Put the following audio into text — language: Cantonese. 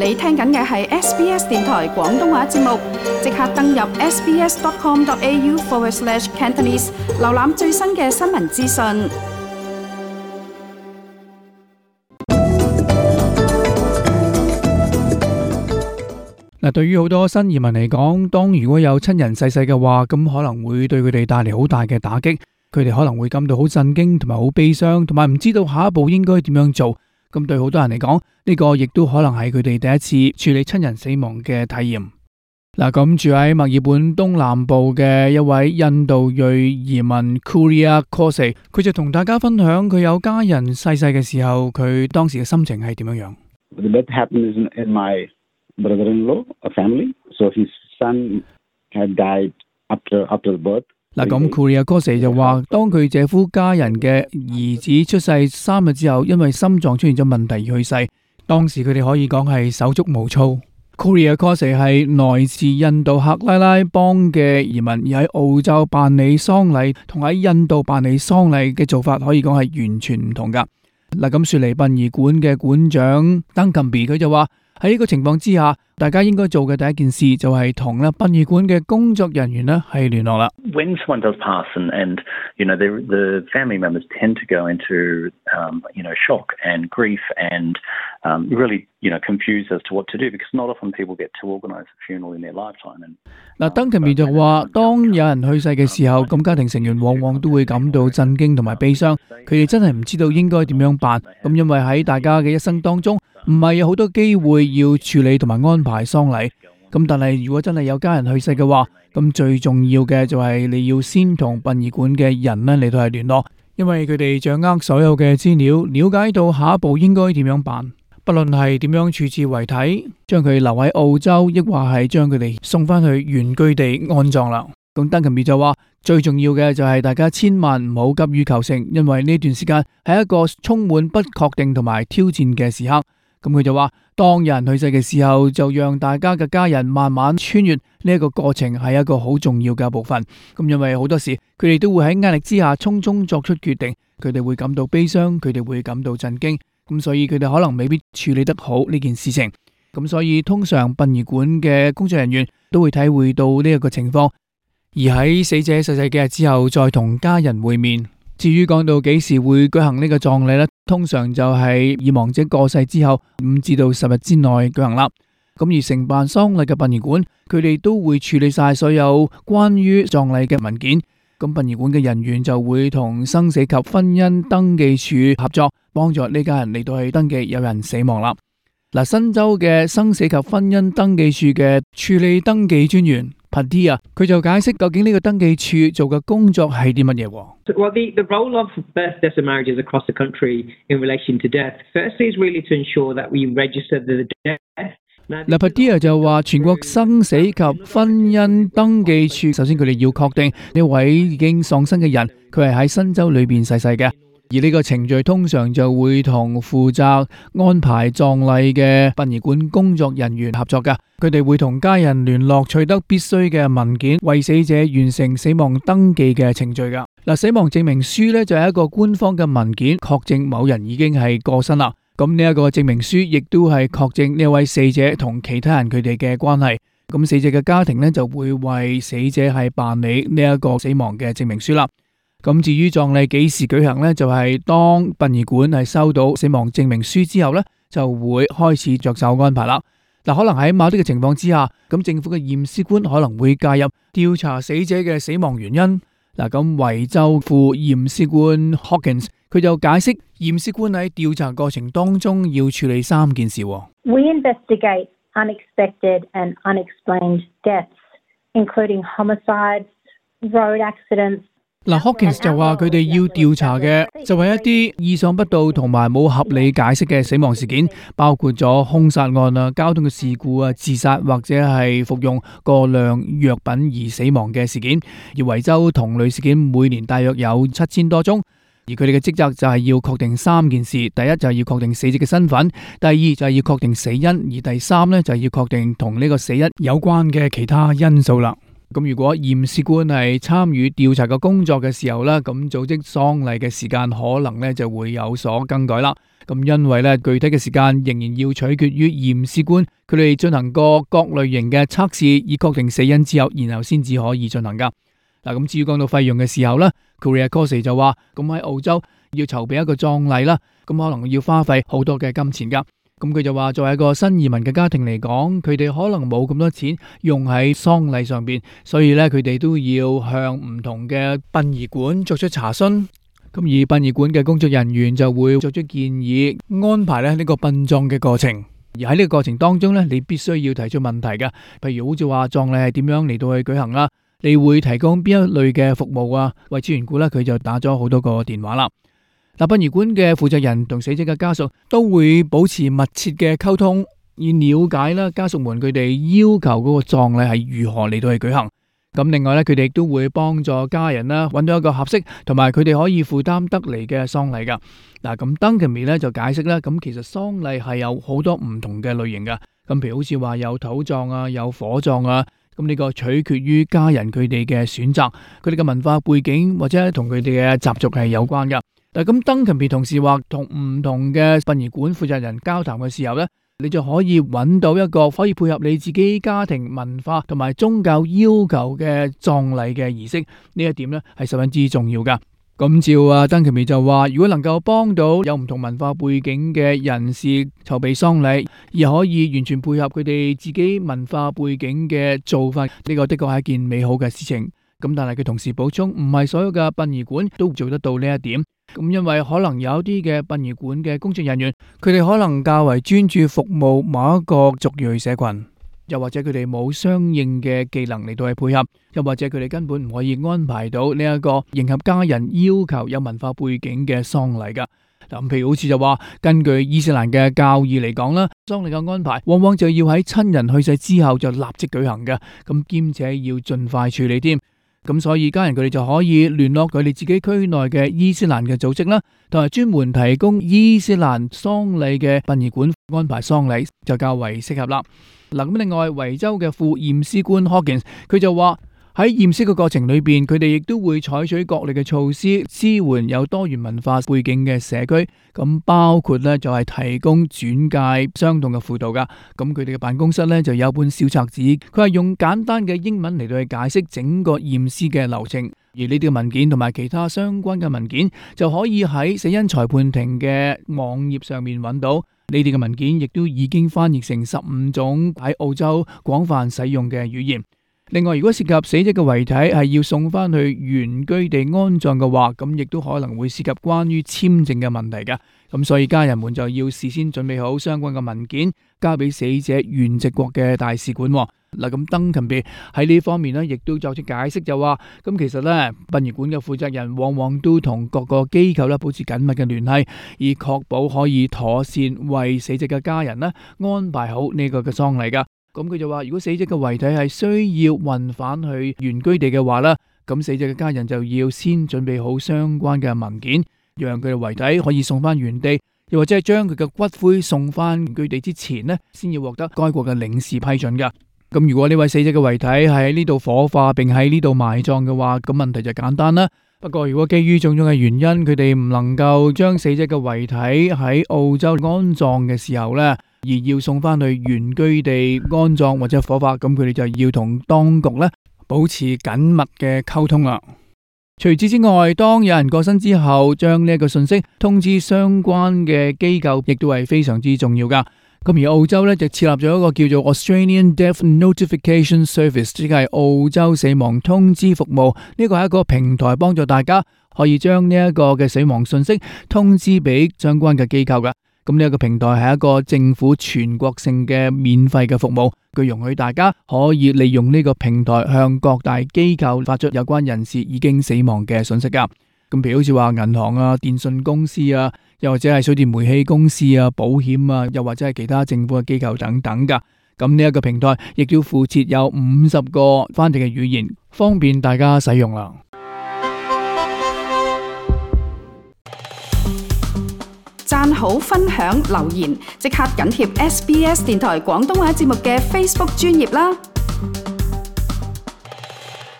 你聽緊嘅係 SBS 電台廣東話節目，即刻登入 sbs.com.au/Cantonese 瀏覽最新嘅新聞資訊。嗱，對於好多新移民嚟講，當如果有親人逝世嘅話，咁可能會對佢哋帶嚟好大嘅打擊，佢哋可能會感到好震驚，同埋好悲傷，同埋唔知道下一步應該點樣做。咁對好多人嚟講，呢個亦都可能係佢哋第一次處理親人死亡嘅體驗。嗱，咁住喺墨爾本東南部嘅一位印度裔移民 Kuria Kose， 佢就同大家分享佢有家人逝世嘅時候，佢當時嘅心情係點樣樣。 The death happened in my brother-in-law, a family. So his son had died after the birth. 嗱，咁 Kuria Kose 就話，當佢姐夫家人嘅兒子出世3日之後，因為心臟出現咗問題而去世。當時佢哋可以講係手足無措。Kuria Kose 係來自印度克拉拉邦嘅移民，而喺澳洲辦理喪禮同喺印度辦理喪禮嘅做法可以講係完全唔同噶。嗱，咁雪梨殯儀館嘅館長 Duncanby 佢就話，喺呢個情況之下，大家應該做嘅第一件事就係同殯儀館嘅工作人員呢係聯絡啦。When someone does pass and the family members tend to go into shock and grief and really confused as to what to do because not often people get to organise a funeral in their lifetime. 嗱，Duncanby就話，當有人去世嘅時候，咁家庭成員往往都會感到震驚同埋悲傷，佢哋真係唔知道應該點樣辦。咁因為喺大家嘅一生當中，唔係有好多機會要處理同埋安排喪禮，咁但係如果真係有家人去世嘅話，咁最重要嘅就係你要先同殯儀館嘅人呢嚟到係聯絡，因為佢哋掌握所有嘅資料，了解到下一步應該點樣辦，不論係點樣處置遺體，將佢留喺澳洲，抑或係將佢哋送翻去原居地安葬啦。咁Duncanby就話，最重要嘅就係大家千萬唔好急於求成，因為呢段時間係一個充滿不確定同埋挑戰嘅時刻。咁佢就話，當有人去世嘅時候，就讓大家嘅家人慢慢穿越呢一個過程，係一個好重要嘅部分。咁因為好多時佢哋都會喺壓力之下匆匆作出決定，佢哋會感到悲傷，佢哋會感到震驚，咁所以佢哋可能未必處理得好呢件事情。咁所以通常殯儀館嘅工作人員都會體會到呢一個情況，而喺死者逝世幾日之後再同家人會面。至於講到幾時會舉行呢個葬禮呢，通常就係已亡者過世之後5至到10日之內舉行啦。咁而承辦喪禮嘅殯儀館，佢哋都會處理晒所有關於葬禮嘅文件。咁殯儀館嘅人員就會同生死及婚姻登記處合作，幫助呢家人嚟到去登記有人死亡啦。嗱，新州嘅生死及婚姻登記處嘅處理登記專員Padilla， 佢就解釋究竟呢個登記處做嘅工作係啲乜嘢。Well, the role of birth, deaths and marriages across the country in relation to death, firstly is really to ensure that we register the death. Padilla 就話，全國生死及婚姻登記處，首先佢哋要確定呢位已經喪生嘅人，佢係喺新州裏邊逝世嘅。而呢個程序通常就會同負責安排葬禮嘅殯儀館工作人員合作㗎，佢哋會同家人聯絡，取得必須嘅文件，為死者完成死亡登記嘅程序㗎。嗱，死亡證明書呢就係一個官方嘅文件，確證某人已經係過身啦。咁呢一個證明書亦都係確證呢位死者同其他人佢哋嘅關係。咁死者嘅家庭呢就會為死者係辦理呢一個死亡嘅證明書啦。咁至於葬禮幾時舉行呢？就係當殯儀館係收到死亡證明書之後呢，就會開始着手安排啦。嗱，可能喺某啲嘅情況之下，咁政府嘅驗屍官可能會介入調查死者嘅死亡原因。嗱，咁維州副驗屍官 Hawkins 佢就解釋，驗屍官喺調查過程當中要處理3件事。We investigate unexpected and unexplained deaths, including homicides, road accidents. Hawkins 就話佢哋要調查嘅就係一啲意想不到同埋冇合理解釋嘅死亡事件，包括咗兇殺案啊、交通嘅事故啊、自殺或者係服用過量藥品而死亡嘅事件。而維州同類事件每年大約有7000多宗，而佢哋嘅職責就係要確定3件事：第一就係要確定死者嘅身份，第二就係要確定死因，而第3呢就係要確定同呢個死因有關嘅其他因素啦。咁如果驗屍官係參與調查嘅工作嘅時候呢，咁組織喪禮嘅時間可能呢就會有所更改啦。咁因為咧具體嘅時間仍然要取決於驗屍官佢哋進行過各類型嘅測試，以確定死因之後，然後先至可以進行噶。嗱，咁至於講到費用嘅時候咧 Korea Kose 就話，咁喺澳洲要籌備一個葬禮啦，咁可能要花費好多嘅金錢噶。咁佢就話，作為一個新移民嘅家庭嚟講，佢哋可能冇咁多錢用喺喪禮上邊，所以咧佢哋都要向唔同嘅殯儀館作出查詢。咁而殯儀館嘅工作人員就會作出建議，安排咧呢個殯葬嘅過程。而喺呢個過程當中咧，你必須要提出問題嘅，譬如好似話葬禮係點樣嚟到去舉行啦，你會提供邊一類嘅服務啊？為此緣故咧，佢就打咗好多個電話啦。嗱，殯儀館嘅負責人同死者嘅家屬都會保持密切嘅溝通，以了解啦家屬們佢哋要求嗰個葬禮係如何嚟到去舉行。咁另外咧，佢哋亦都會幫助家人啦，揾到一個合適同埋佢哋可以負擔得嚟嘅喪禮噶。嗱，咁 Duncan 咧就解釋啦，咁其實喪禮係有好多唔同嘅類型噶。咁譬如好似話有土葬啊，有火葬啊，咁呢個取決於家人佢哋嘅選擇，佢哋嘅文化背景或者同佢哋嘅習俗係有關噶。嗱，咁 Duncan 同時話同唔同嘅殯儀館負責人交談嘅時候咧，你就可以揾到一個可以配合你自己家庭文化同埋宗教要求嘅葬禮嘅儀式，呢一點呢係十分之重要噶。咁照Duncan就話，如果能夠幫到有唔同文化背景嘅人士籌備喪禮，而可以完全配合佢哋自己文化背景嘅做法，呢個的確係一件美好嘅事情。咁但係佢同時補充，唔係所有嘅殯儀館都做得到呢一點。咁因為可能有啲嘅殯儀館嘅工作人員，佢哋可能較為專注服務某一個族裔社群，又或者佢哋冇相應嘅技能嚟到去配合，又或者佢哋根本唔可以安排到呢一個迎合家人要求有文化背景嘅喪禮噶。嗱，譬如好似就話，根據伊斯蘭嘅教義嚟講啦，喪禮嘅安排往往就要喺親人去世之後就立即舉行嘅，咁兼且要盡快處理添。咁所以家人佢哋就可以聯絡佢哋自己區內嘅伊斯蘭嘅組織啦，同埋專門提供伊斯蘭喪禮嘅殯儀館安排喪禮就較為適合啦。嗱，咁另外維州嘅副驗屍官 Hawkins 佢就話，喺驗屍嘅過程裏邊，佢哋亦都會採取各類嘅措施支援有多元文化背景嘅社區，咁包括咧就係提供轉介相同嘅輔導噶。咁佢哋嘅辦公室咧就有本小冊子，佢係用簡單嘅英文嚟到去解釋整個驗屍嘅流程。而呢啲嘅文件同埋其他相關嘅文件就可以喺死因裁判庭嘅網頁上面揾到。呢啲嘅文件亦都已經翻譯成15種喺澳洲廣泛使用嘅語言。另外，如果涉及死者嘅遺體係要送翻去原居地安葬嘅話，咁亦都可能會涉及關於簽證嘅問題噶。咁所以家人們就要事先準備好相關嘅文件，交俾死者原籍國嘅大使館。嗱，咁Duncan喺呢方面呢，亦都作出解釋，就話咁其實呢，殯儀館嘅負責人往往都同各個機構呢保持緊密嘅聯繫，以確保可以妥善為死者嘅家人呢安排好呢個嘅喪禮噶。咁佢就話，如果死者嘅遺體係需要運返去原居地嘅話呢，咁死者嘅家人就要先準備好相關嘅文件，讓佢嘅遺體可以送翻原地，又或者係將佢嘅骨灰送翻原居地之前呢，先要獲得該國嘅領事批准噶。咁如果呢位死者嘅遺體係喺呢度火化並喺呢度埋葬嘅話，咁問題就簡單啦。不過如果基於種種嘅原因，佢哋唔能夠將死者嘅遺體喺澳洲安葬嘅時候呢，而要送翻去原居地安葬或者火化，咁佢哋就要同當局呢保持緊密嘅溝通啦。除此之外，當有人過身之後，將呢一個信息通知相關嘅機構，亦都係非常之重要噶。咁而澳洲呢，就設立咗一個叫做 Australian Death Notification Service， 即係澳洲死亡通知服務。呢個係一個平台，幫助大家可以將呢一個嘅死亡信息通知俾相關嘅機構噶。咁呢一個平台係一個政府全國性嘅免費嘅服務，佢容許大家可以利用呢個平台向各大機構發出有關人士已經死亡嘅信息噶。咁譬如好似話銀行啊、電信公司啊，又或者係水電煤氣公司啊、保險啊，又或者係其他政府嘅機構等等噶。咁呢一個平台亦都附設有50個翻譯嘅語言，方便大家使用啦。讚好、分享、留言，即刻緊貼SBS 電台廣東話節目嘅 Facebook 專頁啦！